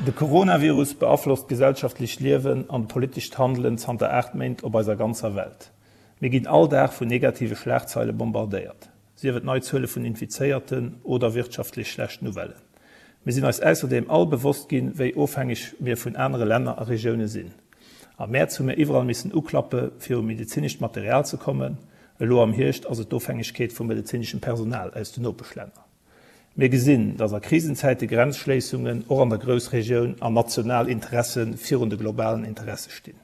De Coronavirus beaflosst d'gesellschaftlecht Liewen an d'politescht Handelen zanter 8 Méint op eiser ganzer Welt. Mir ginn all Dag vun negative Schlagzeile bombardéiert, sief et nei Zuele vun Infizéierten oder wirtschaftlech schlecht Nouvellen. Mir sinn eis ausserdeem all bewosst ginn, wéi ofhängeg mir vun anere Länner a Regioune sinn. Am Mäerz hu mir iwwerall missen uklappe fir u medezinescht Material ze kommen, elo am Hierscht ass et d'Ofhängegkeet vum medezineschem Personal aus den Nopeschlänner. Mir gesinn, datt a Krisenzäite Grenzschléissungen och an der Groussregioun an national Interesse virun de globalen Interesse stinn.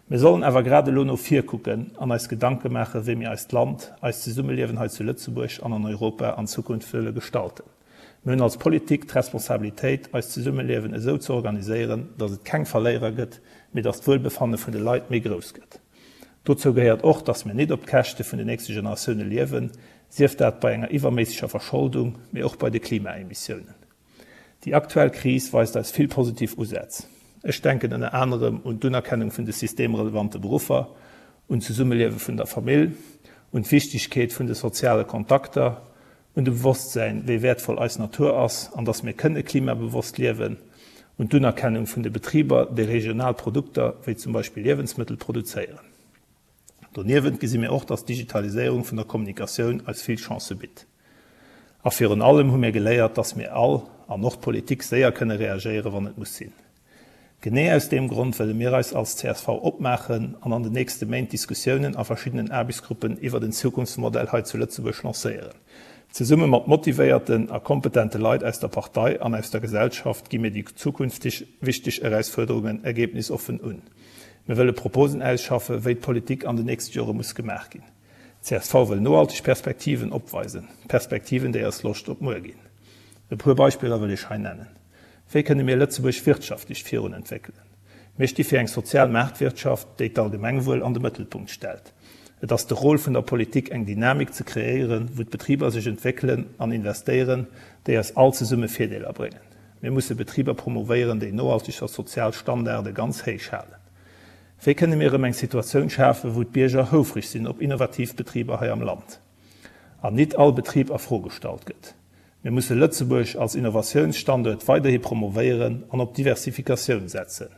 Mir sollen awer grad elo no vir kucken an eis Gedanke maachen, wéi mir eist Land, eist Zesummeliewen hei zu Lëtzebuerg an an Europa an Zukunft wëlle gestalten. Mir hunn als Politik d'Responsabilitéit, eist Zesummeliewen esou ze organiséieren, datt et keng Verléierer gëtt, mee datt d'Wuelbefanne vun de Leit méi grouss gëtt. Dozou gehéiert och, datt mir nit op d'Käschte vun den nächste Generatioune liewen, sief dat bei enger iwwerméisseger Verscholdung, mee och bei de Klimaemissiounen. Déi aktuell Kris weist eis vill positiv Usätz. Ech denken ënner anerem un d'Unerkennung vun de systemrelevante Beruffer, un d'Zesummeliewe vun der Famill, un d'Wichtigkeet vun de soziale Kontakter, un de Bewosstsäin, wéi wäertvoll eis Natur ass an dass mir kënne klimabewosst liewen, un d'Unerkennung vun de Betriber, déi regional Produkter, wéi zum Beispill Liewensmëttel, produzéieren. Doniewent gesi mir och, dass d'Digitaliséierung vun der Kommunikatioun eis vill Chancë bitt. A virun allem hu mir geléiert, dass mir all, an och d'Politik, séier kënne reagéieren, wann et muss sinn. Genee aus deem Grond wëlle mir eis als csv opmaachen an an den nächste Méint Diskussiounen a verschiddenen Aarbechtsgruppen iwwert en Zukunftsmodell hei zu Lëtzebuerg lancéieren. Zesumme mat motivéierten a kompetente Leit aus der Partei an aus der Gesellschaft gi mir déi zukünfteg wichteg Erausfuerderungen ergebnisoffen un. Mir wëlle Proposen ausschaffe wéi d'Politik an den nächste Jore muss gemaach ginn. Csv wëll nohalteg Perspektiven opweisen, Perspektiven déi eis Loscht op muer ginn. E puer Beispiller wëll ech hei nennen. Wéi kënne mir Lëtzebuerg wirtschaftlech virun entwéckelen? Mir sti fir eng sozial Maartwirtschaft, déi d'Allgemengwuel an de Mëttelpunkt stellt. Et ass de Rôle vun der Politik eng Dynamik ze kreéieren, wou d'Betriber sech entwéckelen an investéieren, déi eis all zesumme Virdeeler bréngen. Mir musse Betriber promovéieren, déi nohalteg a sozial Standarde ganz héich halen. Wéi kënne mir erëm eng Situatioun schafen, wou d'Bierger houfreg sinn op innovativ Betriber hei am Land an nit all Betrib a Fro gestallt gëtt? Mir musse Lëtzebuerg als Innovatiounsstanduert weiderhi promovéieren an op Diversifikatioun setzen.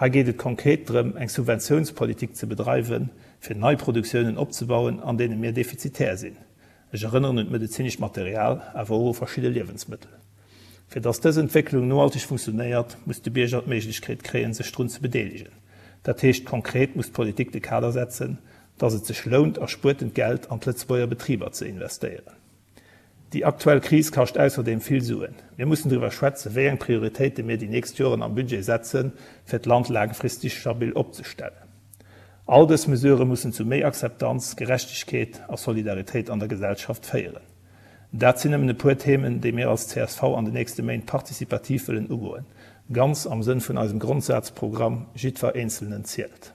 Hei geet et konkret drëm, eng Subventiounspolitik ze bedreiwen, fir nei Produktiounen opzebauen, an deene mir defizitär sinn. Ech erënneren un d'medezinescht Material, awer och u verschidde Liewensmëttel. Fir dass dës Entwécklung nohalteg funktionéiert, muss de Bierger d'Méiglechkeet kréien, sech drun ze bedeelegen. Dat heescht konkret muss d'Politik de Kader setzen, dass et sech lount, erspuertent Geld an d'Lëtzebuerger Betriber ze investéieren. Déi aktuell Kris kascht ausserdeem vill Suen. Mir mussen driwwer schwätzen, wéi eng Prioritéite mir déi nächst Joren am Budget setzen, fir d'Land laangfristeg stabil opzestellen. All dës Mesurë mussen zu méi Akzeptanz, Gerechtegkeet a Solidaritéit an der Gesellschaft féieren. Dat sinn nëmmen e puer Themen, déi mir als csv an de nächste Méint participativ wëllen ugoen, ganz am Sënn vun eisem Grondsazprogramm Jiddwer Eenzelnen zielt.